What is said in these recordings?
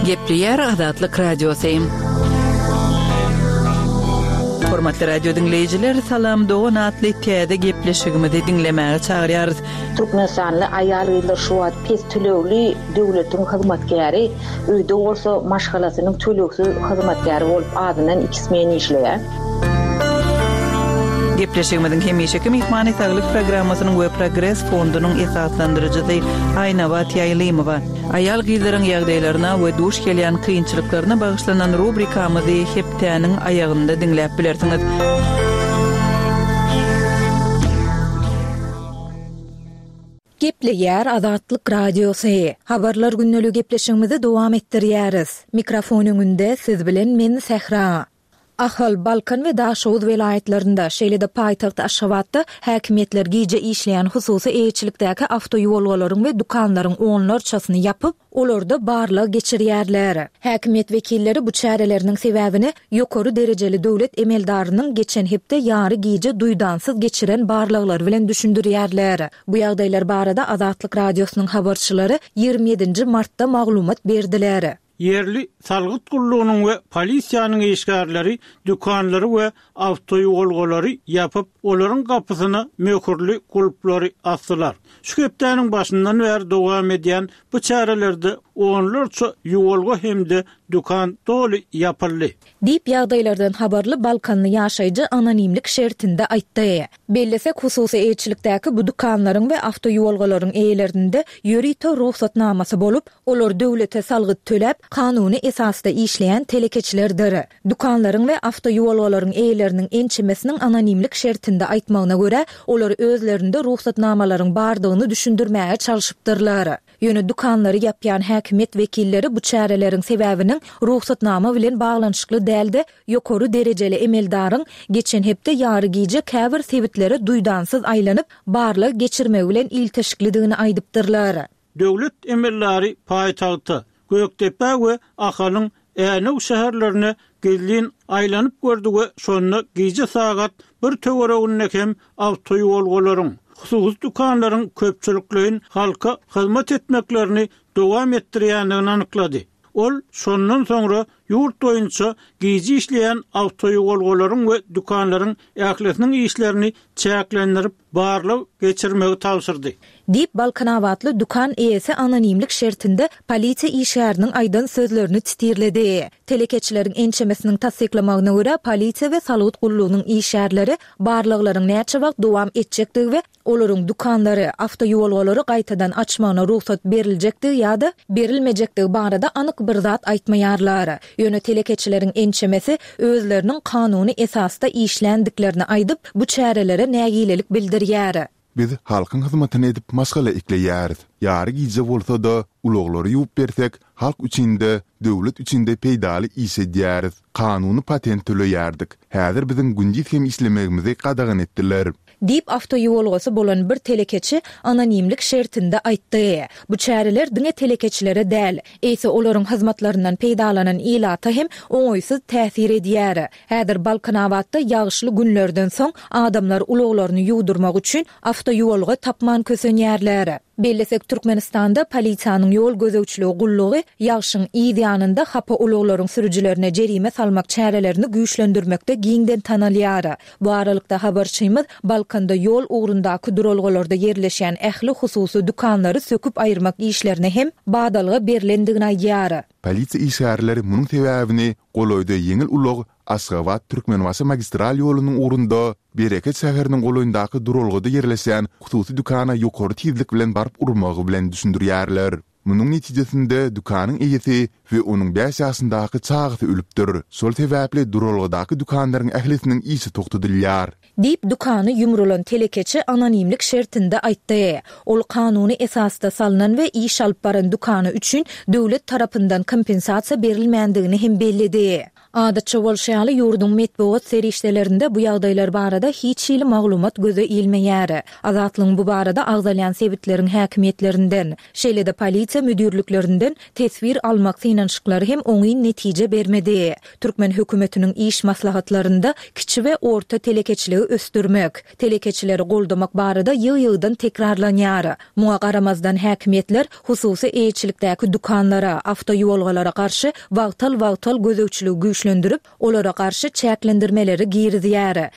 Gepleýär Azatlyk Radiosy. Hormatly radio diňleýjiler, Salam dogan atly täze gepleşigimizi diňlemäge çagyrýarys. Türkmenistanly aýal-gyzlar şu wagt pes tölegli döwletiň hyzmatkäri, öýde bolsa maşgalasynyň tölegsiz hyzmatkäri bolup azyndan iki smen işleýär. Gepleşigimiziň hemişeki myhmany Saglyk programmasynyň we Progres fondunyň esaslandyryjysy Aýnabat Ýaýlymowa. Aýal-gyzlaryň ýagdaýlaryna we duş gelýän kynçylyklaryna bagyşlanan rubrikamyzy hepdäniň aýagynda diňläp bilersiňiz. Gepleýär Azatlyk Radiosy. Habarlar gündeligi gepleşigimizi dowam etdirýäris. Mikrofon öňünde siz bilen men Sähra. Ahal, Balkan we Daşoguz welaýatlarynda, şeýle-de paýtagt Aşgabatda häkimiýetler gije işleýän hususy eýeçilikdäki awtoýuwalgalaryň we dükanlaryň onlarçasyny ýapyp, olarda barlag geçirýärler. Häkimiýet wekilleri bu çäreleriniň sebäbini ýokary derejeli döwlet emeldarynyň geçen hepde ýary gije duýdansyz geçiren barlaglary bilen düşündirýärler. Bu ýagdaýlar barada Azatlyk Radiosynyň habarçylary 27-nji martda maglumat berdiler. Ýerli salgyt gullugynyň we polisiýanyň işgärleri dükanlary we awtoýuwalgalary ýapyp, olaryň gapysyna möhürli gulplary asdylar. Şu hepdäniň başyndan bäri dowam edýän bu çärelerde onlarça ýuwalga hem-de dükan doly ýapyldy. Diýip, ýagdaýlardan habarly balkanly ýaşaýjy anonimlik şertinde aýtdy. Bellesek, hususy eýeçilikdäki bu dükanlaryň we awtoýuwalgalaryň eýelerinde ýörite rugsatnamasy bolup, olar döwlete salgyt töläp, kanuny esasda işleýän telekeçilerdir. Dükanlaryň we awtoýuwalgalaryň eýeleriniň ençemesiniň anonimlik şertinde aýtmagyna görä, olar özlerinde rugsatnamalaryň bardygyny düşündirmäge çalşypdyrlar. Ýöne dükanlary ýapýan häkimiýet wekilleri bu çäreleriň sebäbiniň rugsatnama bilen baglanyşykly däl-de, ýokary derejeli emeldaryň geçen hepde ýary gije käbir sebitlere duýdansyz aýlanyp, barlag geçirmegi bilen ilteşiklidigini aýdypdyrlar. Döwlet emeldary paýtagta, Gökdepä we Ahalyň Änew şäherlerine gizlin aýlanyp gördi we şonda gije sagat bir töwereginde hem awtoýuwalgalaryň, hususy dükanlaryň köpçülikleýin halka hyzmat etmeklerini dowam etdirýändigini anyklady. Ol şondan soňra ýurt boýunça gije işleýän awtoýuwalgalaryň we dükanlaryň ählisiniň işlerini çäklendirip, barlag geçirmegi tabşyrdy. Diýip, balkanabatly dükan eýesi anonimlik şertinde polisiýa işgäriniň aýdan sözlerini titirledi. Telekeçileriň ençemesiniň tassyklamagyna görä, polisiýa we salgyt gullugynyň işgärleri barlaglaryň näçe wagt dowam etjekdigi we olaryň dükanlary, awtoýuwalgalary gaýtadan açmagyna rugsat beriljekdigi ýa-da berilmejekdigi barada anyk bir zat aýtmaýarlar. Ýöne telekeçileriň ençemesi özleriniň kanuny esasda işländiklerini aýdyp, bu çärelere nägilelik bildirýär. Biz halkyň hyzmatyny edip maşgala ekleýäris. Ýary gije bolsa-da, ulaglary ýuwup bersek, halk üçin-de, döwlet üçin-de peýdaly iş edýäris. Kanuny patent töleýärdik. Häzir biziň gündiz hem işlemegimizi gadagan etdiler. Diýip, awtoýuwalgasy bolan bir telekeçi anonimlik şertinde aýtdy. Bu çäreler diňe telekeçilere däl, eýse olaryň hyzmatlaryndan peýdalanan ilata hem oňaýsyz täsir edýär. Häzir Balkanabatda ýagyşly günlerden soň adamlar ulaglaryny ýuwdurmak üçin awtoýuwalga tapman kösenýärler. Bellesek, Türkmenistanda polisiýanyň ýol gözegçiligi gullugy ýagşyň yz ýanynda hapa ulaglaryň sürüjilerine jerime salmak çärelerini güýçlendirmekde giňden tanalýar. Bu aralykda, habarçymyz Balkanda ýol ugrundaky duralgalarda ýerleşýän ähli hususy dükanlary söküp aýyrmak işlerine hem badalga berlendigini aýdýar. Polisiýa işgärleri munuň sebäbini golaýda ýeňil ulag Aşgabat, Türkmenbaşy magistral ýolunyň ugrunda Bereket şäheriniň golaýyndaky duralgada ýerleşýän hususy dükana ýokary tizlik bilen baryp urmagy bilen düşündirýärler. Munuň netijesinde dükanyň eýesi we onuň bäş ýaşyndaky çagasy ölüpdir. Şol sebäpli duralgadaky dükanlaryň ählisiniň işi togtadylýar. Diýip, dükany ýumrulan telekeçi anonimlik şertinde aýtdy. Ol kanuny esasda salnan we iş alyp baran dükany üçin döwlet tarapyndan kompensasiýa berilmändigini hem belledi. Adatça bolşy ýaly, ýurduň metbugat serişdelerinde bu ýagdaýlar barada hiç hili maglumat göze ilmeýär. Azatlygyň bu barada agzalýan sebitleriň häkimiýetlerinden, şeýle-de polisiýa müdirliklerinden teswir almak synanyşyklary hem oňyn netije bermedi. Türkmen hökümetiniň iş maslahatlarynda kiçi we orta telekeçiligi ösdürmek, telekeçileri goldamak barada ýygy-ýygydan tekrarlanýar. Muňa garamazdan häkimiýetler hususy eýeçilikdäki dükanlara, awtoýuwalgalara garşy wagtal-wagtal gözegçiligi güýçlendirip, olara garşy çäklendirmeleri girizýär.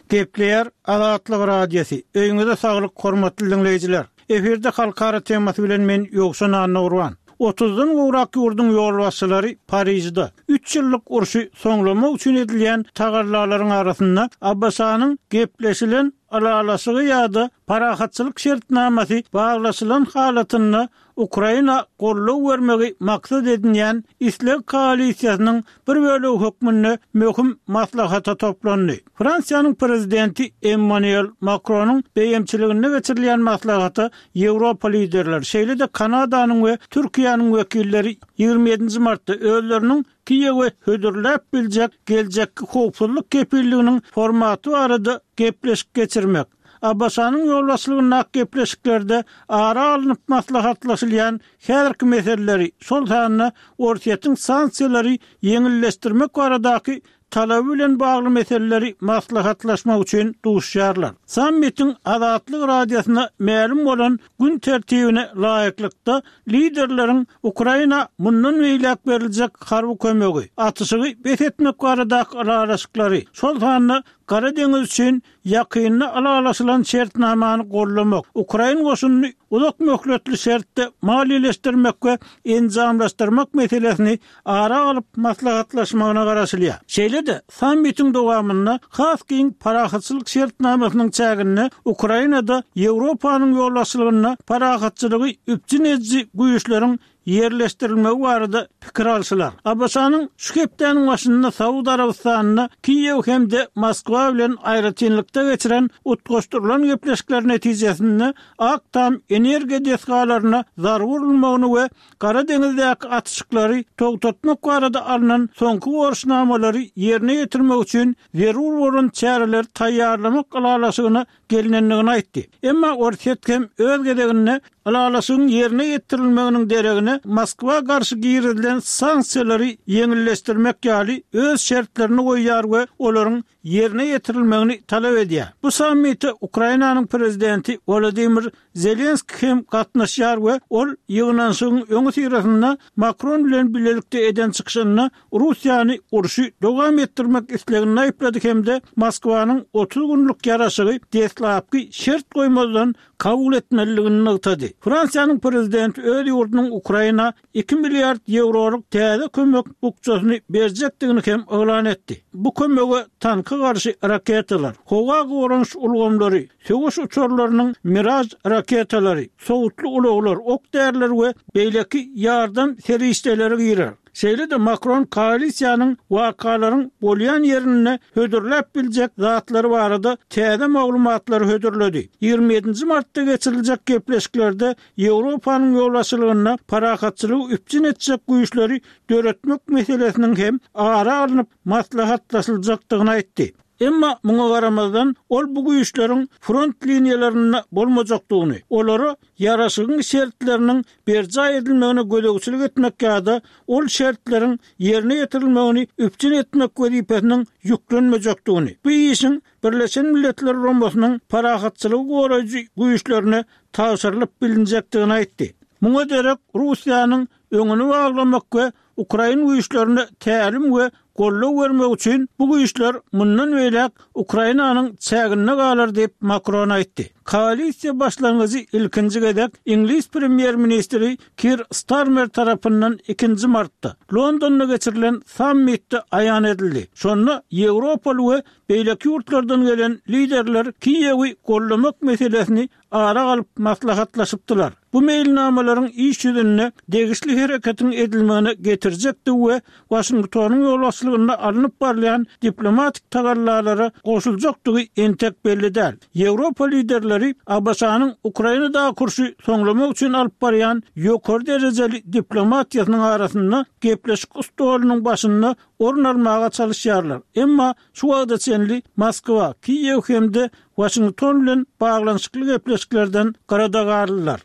Gepleýär Azatlyk Radiosy, Öýüňize saglyk hormatly diňleýjiler! Efirde halkara temasy bilen men Ýowşan Annagurban. Otuzdan gowrak ýurduň ýolbaşçylary Parižde, üç ýyllyk urşy soňlamak üçin edilýän tagallalaryň arasynda ABŞ-nyň gepleşilen ylalaşygy ýa-da parahatçylyk şertnamasy baglaşylan halatynda Ukraina goldaw bermegi maksat edinýän isleg koalisiýasynyň bir bölegi hökmünde möhüm maslahata toplandy. Fransiýanyň Prezidenti Emmanuel Makronyň beýemçiliginde geçirilýän maslahata Ýewropa liderleri, şeýle-de Kanadanyň we Türkiýäniň wekilleri 27 nji martda özleriniň Kiýewe hödürläp biljek geljekki howpsuzlyk kepilliginiň formaty barada gepleşik geçirmek, ABŞ-nyň ýolbaşçylygyndaky gepleşiklerde ara alnyp maslahatlaşylýan häzirki meseleleri, şol sanda Orsýetiň sanksiýalary ýeňilleşdirmek baradaky talaby bilen bagly meseleleri maslahatlaşmak üçin duşýarlar. Sammitiň Azatlyk Radiosyna mälim bolan gün tertibine laýyklykda, liderleriň Ukraina mundan beýläk beriljek harby kömegi, atyşygy bes etmek baradaky ylalaşyklary, şol sanda Gara deňiz üçin Ýakynda ylalaşylan şertnamany goldamak, ukrain goşunyny uzak möhletli şertde maliýeleşdirmek we enjamlaşdyrmak meselesini ara alyp maslahatlaşmagyna garaşylýar. Şeýle-de, sammitiň dowamynda has giň parahatçylyk şertnamasynyň çäginde Ukrainada Ýewropanyň ýolbaşçylygynda parahatçylygy üpjün ediji güýçleriň ýerleşdirilmegi barada pikir alşylar. ABŞ-nyň şu hepdäniň başynda Saud Arabystanynda Kiýew hem-de Moskwa bilen aýratynlykda geçiren utgaşdyrylan gepleşikleri netijesinde Ak Tam energiýa desgalaryna zarba urulmagyny we Gara deňizdäki atyşyklary togtatmak barada alnan soňky borçnamalary ýerine ýetirmek üçin zerur bolan çäreleri taýýarlamak ylalaşygyna gelnendigini aýtdy. Emma Orsýet hem öz gezeginde ylalaşygyň ýerine ýetirilmeginiň deregine Moskwa garşy girizilen sanksiýalary ýeňilleşdirmek ýaly öz şertlerini goýýar we olaryň ýerine ýetirilmegini talap edýär. Bu sammite Ukrainanyň prezidenti Wolodymyr Zelenskiý hem gatnaşýar we ol ýygnanyşygyň öňüsyrasynda Makron bilen bilelikde eden çykyşynda Russiýany urşy dowam etdirmek isleginde aýyplady hem-de Moskwanyň 30 günlük ýaraşygy deslapky şert goýmazdan kabul etmelidigini nygtady. Fransiýanyň prezidenti öz ýurdunyň Ukraina 2 milliard ýewrolyk täze kömek bukjasyny berjekdigini hem yglan etdi. Bu kömege tanka garşy raketalar, howa goranyş ulgamlary, söweş uçarlarynyň Mirage raketalary, sowutly ulaglar, ok-däriler we beýleki ýardam serişdeleri girer. Şeýle-de Makron koalisiýanyň wakalaryň bolýan ýerinde hödürläp biljek zatlary barada täze maglumatlary hödürledi. 27 nji martda geçiriljek gepleşiklerde Ýewropanyň ýolbaşçylygynda parahatçylygy üpjün etjek güýçleri döretmek meselesiniň hem ara alnyp maslahatlaşyljakdygyny aýtdy. Emma muňa garamazdan, ol bu güýçleriň front liniýalarynda bolmajakdygyny, olara ýaraşygyň şertleriniň berjaý edilmegine gözegçilik etmek ýa-da ol şertleriň ýerine ýetirilmegini üpjün etmek wezipesiniň ýüklenmejekdigini, bu işiň Birleşen Milletler Guramasynyň parahatçylygy goraýjy güýçlerine tabşyrylyp bilinjekdigini aýtdy. Muňa derek Russiýanyň öňüni baglamak we ukrain güýçlerine tälim we goldaw bermek üçin bu güýçler mundan beýläk Ukrainanyň çäginde galar diýip, Makron aýtdy. Koalisiýa başlangyjy ilkinji gezek iňlis premýer-ministri Kir Starmer tarapyndan ikinji martda Londonda geçirilen sammitde aýan edildi. Şonda ýewropaly we beýleki ýurtlardan gelen liderler Kiýewi goldamak meselesini ara alyp maslahatlaşypdylar. Bu meýilnamalaryň iş ýüzünde degişli hereketiň edilmegine getirjekdigi we Waşingtonyň ýolbaşçylarynyň. ýolbaşçylygynda alnyp barylýan diplomatik tagallalara goşuljakdygy entek belli däl. Ýewropa liderleri ABŞ-nyň Ukrainadaky urşy soňlamak üçin alyp barýan ýokary derejeli diplomatiýasynyň arasynda gepleşik stolunyň başynda orun almaga çalyşýarlar. Emma şu wagta çenli Moskwa, Kiýew hem-de Waşington bilen baglanyşykly gepleşiklerden gyrada galdylar.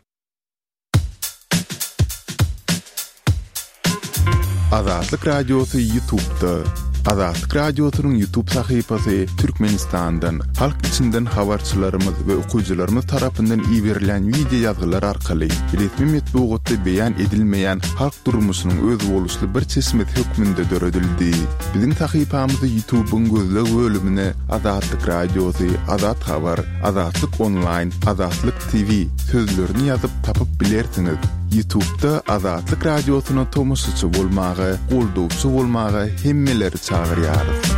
Azatlyk Radiosy Ýutubda. Azatlyk Radiosynyň Ýutub sahypasy Türkmenistandan, halk içinden habarçylarymyz we okyjylarymyz tarapyndan iberilýän wideo ýazgylar arkaly resmi metbugatda beýan edilmeýän halk durmuşynyň özboluşly bir çeşmesi hökmünde döredildi. Biziň sahypamyzy Ýutubyň gözleg bölümine Azatlyk Radiosy, Azat Habar, Azatlyk Onlaýn, Azatlyk TV sözlerini ýazyp tapyp bilersiňiz. Ýutubda Azatlyk Radiosyna tomaşaçy bolmaga, goldawçy bolmaga hemmeleri çagyrýarys.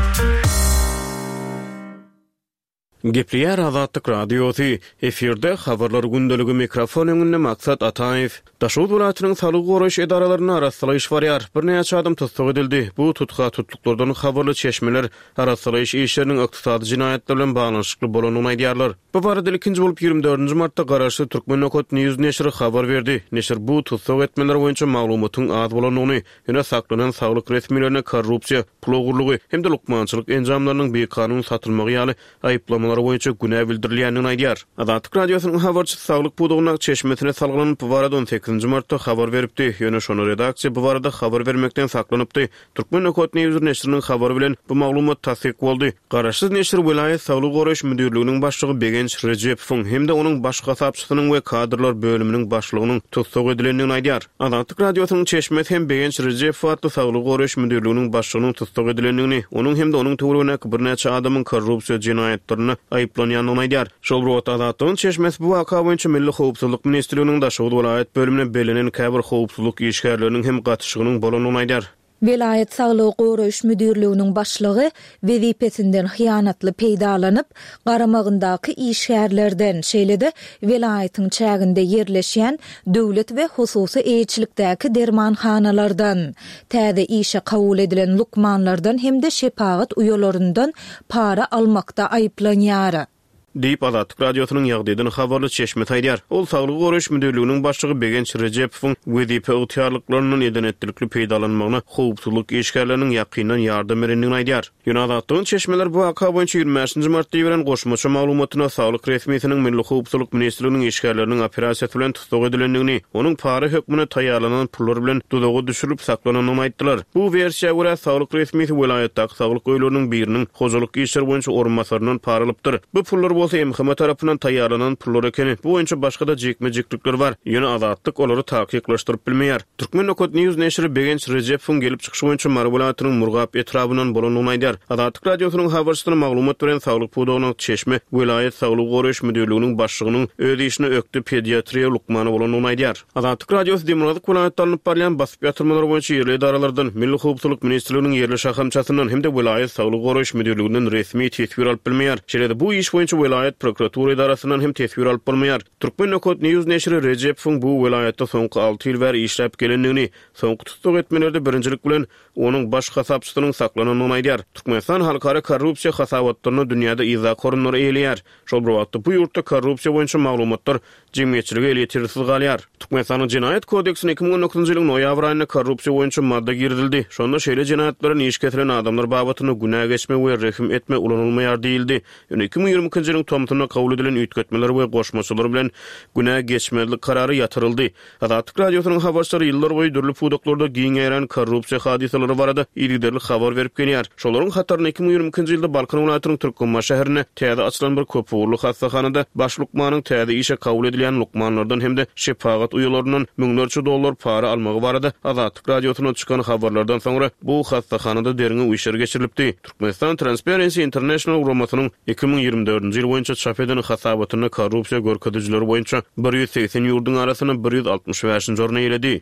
Gepleýär Azatlyk Radiosy, Efirde Habarlar gündeligi mikrofon öňünde Maksat Ataýew. Daşoguz welaýatynyň saglygy goraýyş edaralarynda arassalaýyş barýar. Birnäçe adam tussag edildi. Bu tutha-tutluklardan habarly çeşmeler arassalaýyş işleriniň ykdysady jenaýatlar bilen baglanyşykly bolandygyny aýdýarlar. Bu barada ilkinji bolup ýigrimi dördünji martda garaşsyz Turkmen Nokat News neşiri habar berdi. Neşir bu tussag etmeler boýunça maglumatyň az bolandygyny, ýöne saklanan saglyk resmilerine korrupsiýa, pul ogurlygy hem-de lukmançylyk enjamlarynyň bikanun satylmagy ýaly aýyplamalar boýunça günä bildirilýändigini aýdýar. Azatlyk Radiosynyň habarçysy saglyk pudagyndaky çeşmesine salgylanyp, bu barada on sekizinji martda habar beripdi. Ýöne şonda redaksiýa bu barada habar bermekden saklanypdy. Turkmen Nokat News neşiriniň habary bilen bu maglumat tassyk boldy. Garaşsyz neşir welaýat saglygy goraýyş müdirliginiň başlygy Begenç Rejepowyň hem-de onuň baş hasapçysynyň we kadrlar bölüminiň başlygynyň tussag edilendigini aýdýar. Azatlyk Radiosynyň çeşmesi hem Begenç Rejepow atly saglygy goraýyş müdirliginiň başlygynyň tussag edilendigini, onuň hem-de onuň töweregindäki birnäçe adamyň korrupsiýa jenaýatlarynda aýyplanýandygyny aýdýar. Şol bir wagtda, Azatlygyň çeşmesi bu waka boýunça Milli howpsuzlyk ministrliginiň Daşoguz welaýat bölümine bellenen käbir howpsuzlyk işgärleriniň hem gatyşygynyň bolandygyny aýdýar. Welaýat saglygy goraýyş müdirliginiň başlygy wezipesinden hyýanatly peýdalanyp, garamagyndaky işgärlerden, şeýle-de welaýatyň çäginde ýerleşýän döwlet we hususy eýeçilikdäki dermanhanalardan, täze işe kabul edilen lukmanlardan hem-de şepagat uýalaryndan para almakda aýyplanýar. Diýip, Azatlyk Radiosynyň ýagdaýdan habarly çeşmesi aýdýar. Ol Saglygy goraýyş müdirliginiň başlygy Begenç Rejepowyň wezipe ygtyýarlyklaryndan eden-etdilikli peýdalanmagyna howpsuzlyk işgärleriniň ýakyndan ýardam berendigini aýdýar. Ýöne Azatlygyň çeşmeleri bu waka boýunça ýigrimi bäşinji martda iberen goşmaça maglumatynda saglyk resmisiniň Milli howpsuzlyk ministrliginiň işgärleriniň operasiýasy bilen tussag edilendigini, onuň para hökmünde taýýarlanan pullar bilen duzaga düşürilip saklanandygyny aýtdylar. Bu wersiýa görä, saglyk resmisi welaýatdaky saglyk öýleriniň biriniň hojalyk işleri boýunça orunbasaryndan para alypdyr. Bu pullar bolsa MHM tarapyndan taýýarlanan pullar ekeni. Bu boýunça başga-da jikme-jiklikler bar, ýöne Azatlyk olary takyklaşdyryp bilmeýär. Turkmen Nokat News neşiri Begenç Rejepowyň gelip çykyşy boýunça Mary welaýatynyň Murgap etrabyndan bolandygyny aýdýar. Azatlyk Radiosynyň habarçysyna maglumat beren saglyk pudagynyň çeşme welaýat saglygy goraýyş müdirliginiň başlygynyň öz işine ökde pediatriýa lukmany bolandygyny aýdýar. Azatlyk Radiosy demirgazyk welaýatda alnyp barylýan basyp ýatyrmalar boýunça ýerli edaralardan, Milli howpsuzlyk ministrliginiň ýerli şahamçasyndan hem-de welaýat saglygy goraýyş müdirliginden resmi teswir alyp bilmeýär. Şeýle-de bu iş boýunça welaýat prokuratura edarasyndan hem teswir alyp bolmaýar. Turkmen Nokat News neşiri Rejepowyň bu welaýatda soňky alty ýyl bäri işläp gelendigini, soňky tussag etmelerde birinjilik bilen onuň baş hasapçysynyň saklanandygyny aýdýar. Türkmenistan halkara korrupsiýa hasabatlarynda dünýäde yzdaky orunlary eýeleýär. Şol bir wagtda, bu ýurtda korrupsiýa boýunça maglumatlar jemgyýetçilige elýetersiz galýar. Türkmenistanyň Jenaýat kodeksine 2019-njy ýylyň noýabr aýynda korrupsiýa boýunça madda girizildi. Şonda şeýle jenaýatlara iş kesilen adamlar babatynda günä geçme we rehim etme ulanylmaýar diýildi. Ýöne 2022-nji ýylyň tomsunda kabul edilen üýtgetmeler we goşmaçalar bilen günä geçmezlik karary ýatyryldy. Azatlyk Radiosynyň habarçylary ýyllar boýy dürli pudaklarda giň ýaýran korrupsiýa hadysalary barada yzygiderli habar berip gelýär. Şolaryň hatarynda 2022-nji ýylda Balkan welaýatynyň Türkmenbaşy şäherinde täze açylan bir köpugurly hassahanada baş lukmanyň täze işe kabul edilýän lukmanlardan hem-de şepagat uýalaryndan müňlerçe dollar para almagy barada Azatlyk Radiosyndan çykan habarlardan soňra bu hassahanada derňew işleri geçirilipdi. Türkmenistan Transparency International guramasynyň 2024-nji ýyl boýunça çap eden hasabatynda korrupsiýa görkezijileri boýunça 180 ýurduň arasynda 165-nji orny eýeledi.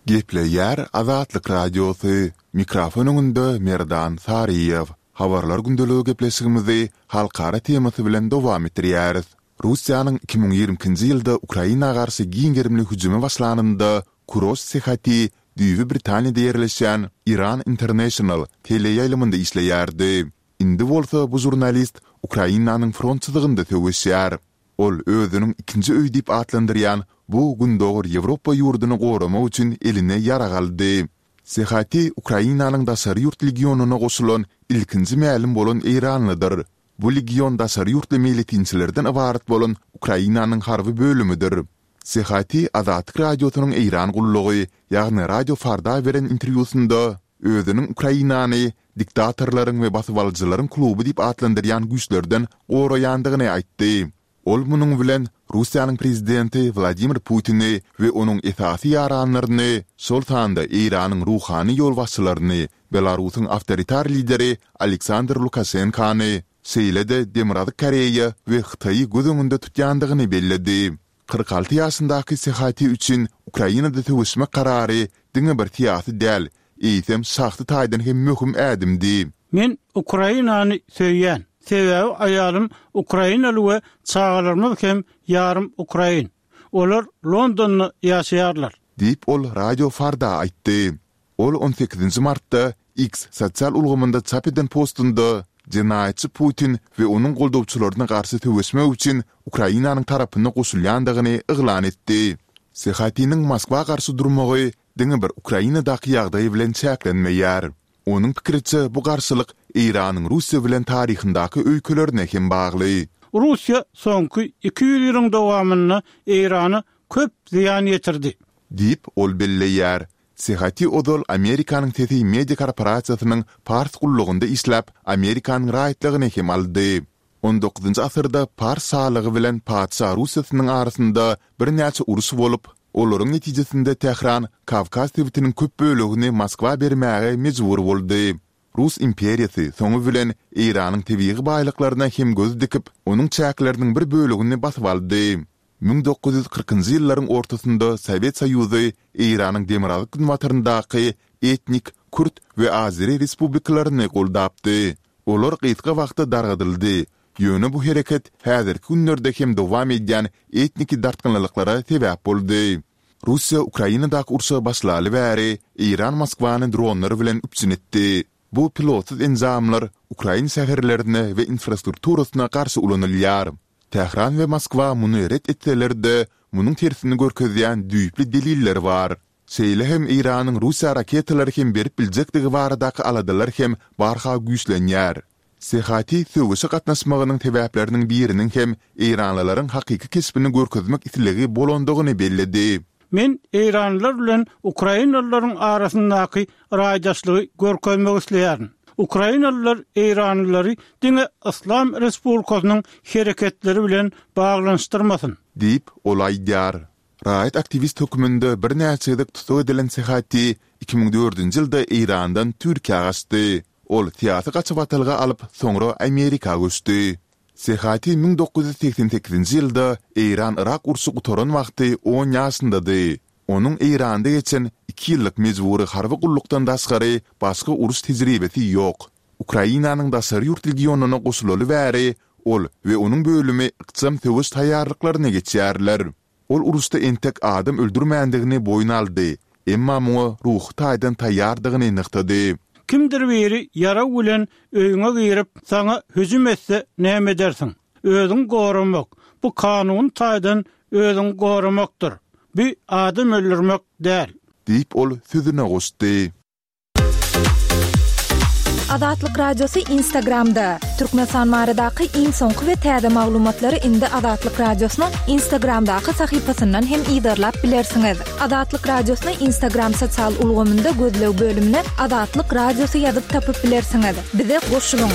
Gepleýär Azatlyk Radiosy, Mikrofon öňünde Merdan Saryýew. Habarlar gündeligi gepleşigimizi halkara temasy bilen dowam etdirýäris. Russiýanyň 2022-nji ýylda Ukraina garşy giň gerimli hüjüme başlanynda Kuroş Sehati düýbi Britaniýada ýerleşýän Iran International teleýaýlymynda işleýärdi. Indi bolsa bu žurnalist Ukrainanyň front çyzygynda söweşýär. Ol özüniň ikinji öýi diýip atlandyrýan bu Gündogar Ýewropa ýurduny goramak üçin eline ýarag aldy. Sehati Ukrainanyň daşary ýurt legionyna goşulan ilkinji mälim bolan eýranlydyr. Bu legion daşary ýurtly meýletinçilerden ybarat bolan Ukrainanyň harby bölümidir. Sehati Azatlyk Radiosynyň Eýran gullugy, ýagny Radio Farda beren interwýusynda özüniň Ukrainany diktatorlaryň we basybalyjylaryň kluby diýip atlandyrýan güýçlerden goraýandygyny aýtdy. Ol munuň bilen Russiýanyň prezidenti Wladimir Putini we onuň esasy ýaranlaryny, şol sanda Eýranyň ruhany ýolbaşçylaryny, Belarusyň awtoritar lideri Aleksandr Lukaşenkany, şeýle-de Demirgazyk Koreýa we Hytaýy göz öňünde tutýandygyny belledi. 46 ýaşyndaky Sehati üçin Ukrainada söweşmek karary diňe bir syýasy däl, eýsem şahsy taýdan hem möhüm ädimdi. Men Ukrainany söýýän, sebäbi aýalym ukrainaly we çagalarymyz hem ýarym ukrain. Olar Londonda ýaşaýarlar. Diýip, ol Radio Farda aýtdy. Ol on sekizinji martda X sosial ulgamynda çap eden postunda jenaýatçy Putin we onuň goldawçylaryna garşy söweşmek üçin Ukrainanyň tarapyna goşulýandygyny yglan etdi. Sehatiniň Moskwa garşy durmagy diňe bir Ukrainadaky ýagdaý bilen çäklenmeýär. Onuň pikiriçe, bu garşylyk Eýranyň Russiýa bilen taryhyndaky öýkelerine hem bagly. Russiýa soňky 200 ýylyň dowamynda Eýrana köp zyýan ýetirdi. Diýip, ol belleýär. Sehati ozal Amerikanyň Sesi media korporasiýasynyň pars gullugynda işläp, Amerikanyň raýatlygyny hem aldy. On dokuzynjy asyrda pars şalygy bilen patyşa Russiýasynyň arasynda birnäçe uruş bolup, olaryň netijesinde Tähran Kawkaz sebitiniň köp bölegini Moskwa bermäge mejbur boldy. Rus imperiýasy soňy bilen Eýranyň tebigy baýlyklaryna hem göz dikip, onuň çäkleriniň bir bölegini basyp aldy. 1940-njy ýyllaryň ortasynda Sowet Soýuzy Eýranyň demirgazyk-günbataryndaky etnik kürt we azeri respublikalaryny goldapdy. Olar gysga wagtda dargadyldy, ýöne bu hereket häzirki günlerde hem dowam edýän etniki dartgynlylyklara sebäp boldy. Russiýa Ukrainadaky urşa başlaly bäri Eýran Moskwany dronlar bilen üpjün etdi. Bu pilotsyz enjamlar ukrain şäherlerine we infrastrukturasyna garşy ulanylýar. Tähran we Moskwa muny ret etseler-de, munuň tersini görkezýän düýpli deliller bar. Şeýle hem Eýranyň Russiýa raketalary hem berip biljekdigi baradaky aladalar hem barha güýçlenýär. Sehati söweşe gatnaşmagynyň sebäpleriniň biriniň hem eýranlylaryň hakyky keşbini görkezmek islegi bolandygyny belledi. Men eýranlylar bilen ukrainalylaryň arasyndaky raýdaşlygy görkezmek isleýärin. Ukrainalylar eýranlylary diňe Yslam Respublikasynyň hereketleri bilen baglanyşdyrmasyn. Diýip, ol aýdýar. Raýat aktiwist hökmünde birnäçe gezek tussag edilen Sehati 2004-nji ýylda Eýrandan Türkiýä gaçdy. Ol syýasy gaçybatalga alyp, soňra Amerika göçdi. Sehati 1988-nji ýylda Eýran-Yrak urşy gutaran wagty on ýaşyndady. Onuň Eýranda geçen iki ýyllyk mejbury harby gullukdan daşgary başga uruş tejribesi ýok. Ukrainanyň daşary ýurt legionyna goşulaly bäri ol we onuň bölümi ykjam söweş taýýarlyklaryny geçýärler. Ol uruşda entek adam öldürmändigini boýun aldy, emma muňa ruhy taýdan taýýardygyny nygtady. Kimdir biri ýarag bilen öýüňe girip, saňa hüjüm etse näme edersiň? Özüňi goramak, bu kanuny taýdan özüňi goramakdyr. Bu adam öldürmek däl. Diýip, ol sözüne goşdy. Azatlyk Radiosy Instagramda, Türkmenistan baradaky iň soňky we täze maglumatlary indi Azatlyk Radiosynyň Instagramdaky sahypasyndan hem yzarlap bilersiňiz. Azatlyk Radiosyny Instagram sosial ulgamynda gözleg bölümine Azatlyk Radiosy ýazyp tapyp bilersiňiz. Bize goşulyň!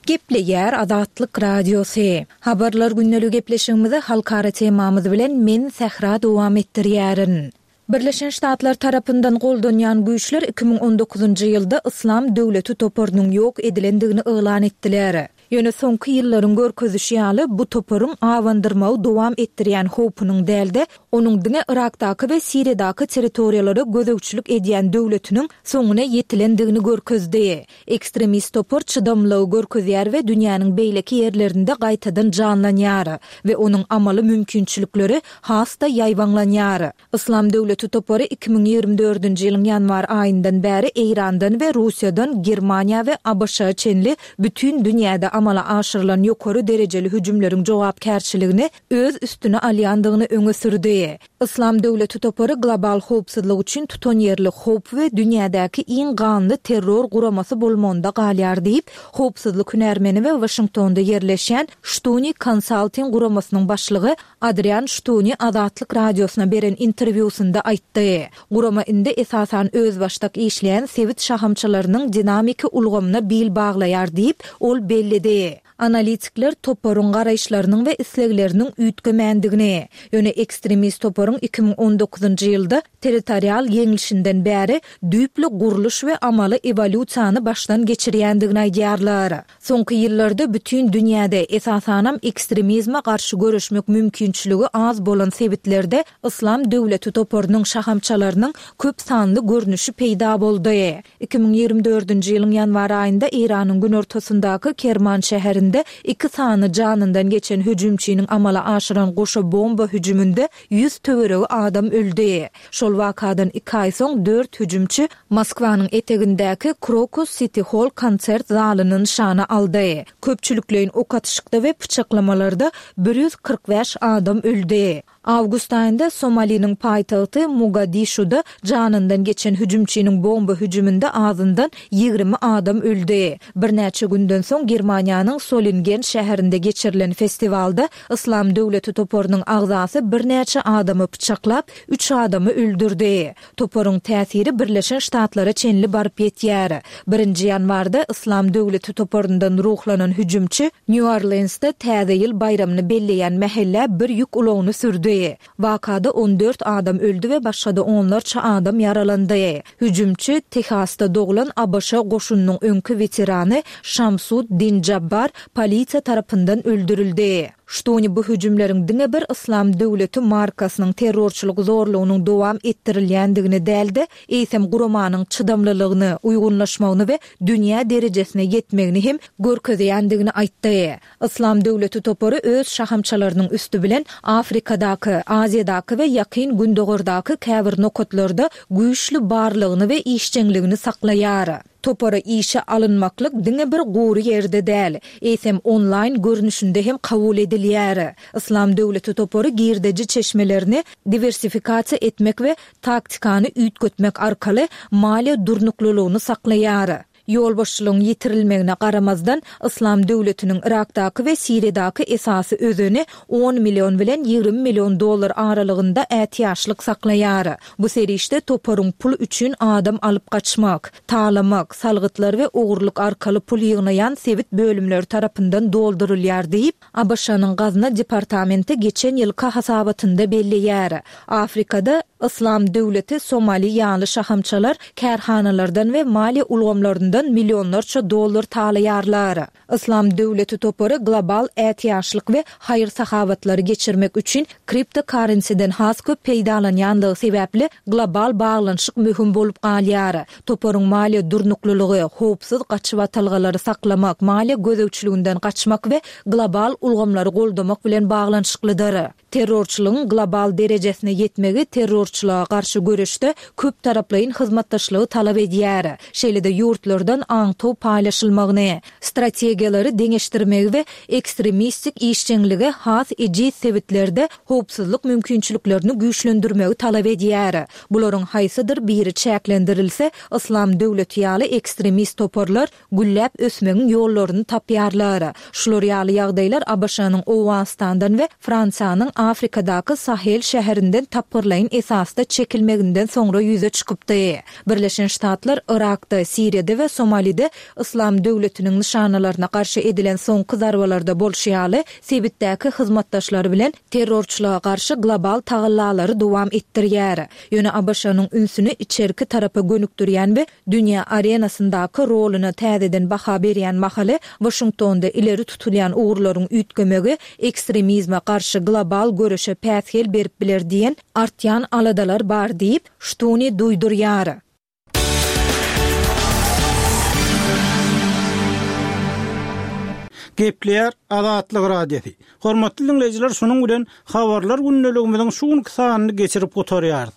Gepleýär Azatlyk Radiosy. Habarlar gündeligi gepleşigimizi halkara temamyz bilen men Sähra dowam etdirýärin. Birleşen Ştatlar tarapyndan goldanýan güýçler 2019-njy ýylda Yslam döwleti toparynyň ýok edilendigini yglan etdiler. Ýöne soňky ýyllaryň görkezişi ýaly, bu toparyň abandyrmagy dowam etdirýän howpunyň däl-de, onuň diňe Yrakdaky we Siriýadaky territoriýalara gözegçilik edýän döwletiniň soňuna ýetilendigini görkezdi. Ekstremist topar çydamlylygy görkezýär we dünýäniň beýleki ýerlerinde gaýtadan janlanýar we onuň amaly mümkinçilikleri has-da ýaýbaňlanýar. Yslam döwleti topary 2024-nji ýylyň ýanwar aýyndan bäri Eýrandan we Russiýadan Germaniýa we ABŞ-a çenli bütin dünýäde amala aşyrylan ýokary derejeli hüjümleriň jogapkärçiligini öz üstüne alýandygyny öňe sürdi. Yslam döwleti topary global howpsuzlyk üçin tutanýerli howp we dünýädäki iň ganly terror guramasy bolmagynda galýar diýip, howpsuzlyk hünärmeni we Waşingtonda ýerleşýän Shtuni Consulting guramasynyň başlygy Adrian Ştuni Azatlyk Radiosyna beren interwýusynda aýtdy. Gurama indi esasan özbaşdak işleýän sebit şahamçalarynyň dinamiki ulgamyna bil baglaýar diýip, ol belledi. Analitikler toparyň garaýyşlarynyň we islegleriniň üýtgemändigini, ýöne ekstremist toparyň 2019-njy ýylda territorial ýeňlişinden bäri düýpli gurluş we amaly ewolýusiýany başdan geçirýändigini aýdýarlar. Soňky ýyllarda bütin dünýäde, esasanam ekstremizme garşy göreşmek mümkinçiligi az bolan sebitlerde Yslam döwleti toparynyň şahamçalarynyň köp sanly görnüşi peýda boldy. 2024-nji ýylyň ýanwar aýynda Eýranyň günortasyndaky Kerman şäherinde iki sany janyndan geçen hüjümçiniň amala aşyran goşa bomba hüjüminde 100 töweregi adam öldi. Şol wakadan iki aý soň dört hüjümçi Moskwanyň etegindäki Krokus Siti Holl konsert zalyny nyşana aldy. Köpçülikleýin ok atyşykda we pyçaklamalarda 145 adam öldi. Awgust aýynda Somaliniň paýtagty Mogadişuda janyndan geçen hüjümçiniň bomba hüjüminde azyndan 20 adam öldi. Birnäçe günden soň Germaniýanyň Solingen şäherinde geçirilen festiwalda Yslam döwleti toparynyň agzasy birnäçe adamy pyçaklap, üç adamy öldürdi. Toparyň täsiri Birleşen Ştatlara çenli baryp ýetýär. Birinji ýanwarda Yslam döwleti toparyndan ruhlanan hüjümçi Nýu-Orleansda Täze ýyl baýramyny belleýän mähellä bir ýük ulagyny sürdi. Wakada 14 adam öldi we başga-da onlarça adam ýaralandy. Hüjümçi, Tehasda doglan ABŞ goşunynyň öňki weterany Şamsud Din Jabbar polisiýa tarapyndan öldürildi. Ştuni bu hüjümleriň diňe bir Yslam döwleti markasynyň terrorçylyk zorlugynyň dowam etdirilýändigini däl-de, eýsem guramanyň çydamlylygyny, uýgunlaşmagyny we dünýä derejesine ýetmegini hem görkezýändigini aýtdy. Yslam döwleti topary öz şahamçalarynyň üsti bilen Afrikadaky, Aziýadaky we Ýakyn Gündogardaky käbir nokatlarda güýçli barlygyny we işjeňligini saklaýar. Topara işe alynmaklyk diňe bir gury ýerde däl, eýsem onlaýn görnüşinde hem kabul edilýär. Yslam döwleti topary girdeji çeşmelerini diwersifikasiýa etmek we taktikany üýtgetmek arkaly maliýe durnuklylygyny saklaýar. Ýolbaşçylygyň ýitirilmegine garamazdan, Yslam döwletiniň Yrakdaky we Siriýadaky esasy özeni on million bilen 20 million dollar aralygynda ätiýaçlyk saklaýar. Bu serişde toparyň pul üçin adam alyp gaçmak, talamak, salgytlar we ogurlyk arkaly pul ýygnaýan sebit bölümleri tarapyndan doldurylýar diýip, ABŞ-nyň Gazna departamenti geçen ýylky hasabatynda belleýär. Afrikada Yslam döwleti, Somali ýaly şahamçalar kärhanalardan we maliýe ulgamlaryndan millionlarça dollar talaýarlar. Yslam döwleti topary global ätiýaçlyk we haýyr-sahawatlary geçirmek üçin kriptokarrensiden has köp peýdalanýanlygy sebäpli global baglanyşyk möhüm bolup galýar. Toparyň maliýe durnuklylygy, howpsuz gaçybatalgalary saklamak, maliýe gözegçiliginden gaçmak we global ulgamlary goldamak bilen baglanyşyklydyr. Terrorçylygyň global derejesine ýetmegi terrorçylyga garşy göreşde köptaraplaýyn hyzmatdaşlygy talap edýär. Şeýle-de ýurtlardan aňtaw paýlaşylmagyny, strategiýalary deňeşdirmegi we ekstremistik işjeňlige has ejiz sebitlerde howpsuzlyk mümkinçiliklerini güýçlendirmegi talap edýär. Bularyň haýsydyr biri çäklendirilse, Yslam döwleti ýaly ekstremist toparlar gülläp ösmegiň ýollaryny tapýarlar. Şular ýaly ýagdaýlar ABŞ-nyň Owganystandan we Fransiýanyň Afrikadaky Sahel şäherinden tapgyrlaýyn esasda. esasda çekilmeginden soňra ýüze çykypdy. Birleşen Ştatlar Yrakda, Siriýada we Somalide Yslam döwletiniň nyşanalaryna garşy edilen soňky zarbalarda bolşy ýaly, sebitdäki hyzmatdaşlary bilen terrorçylyga garşy global tagallalary dowam etdirýär. Ýöne ABŞ-nyň ünsüni içerki tarapa gönükdirýän we dünýä arenasyndaky roluna täzeden baha berýän mahaly, Waşingtonda ileri tutulýan ugurlaryň üýtgemegi ekstremizme garşy global göreşe päsgel berip biler diýen artýan aladalar bar diýip, Ştuni duýdurýar. Gepleýär Azatlyk Radiosy. Hormatly diňleýjiler şunuň bilen Habarlar gündeligimiziň şu günki sanyny geçirip gutarýarys.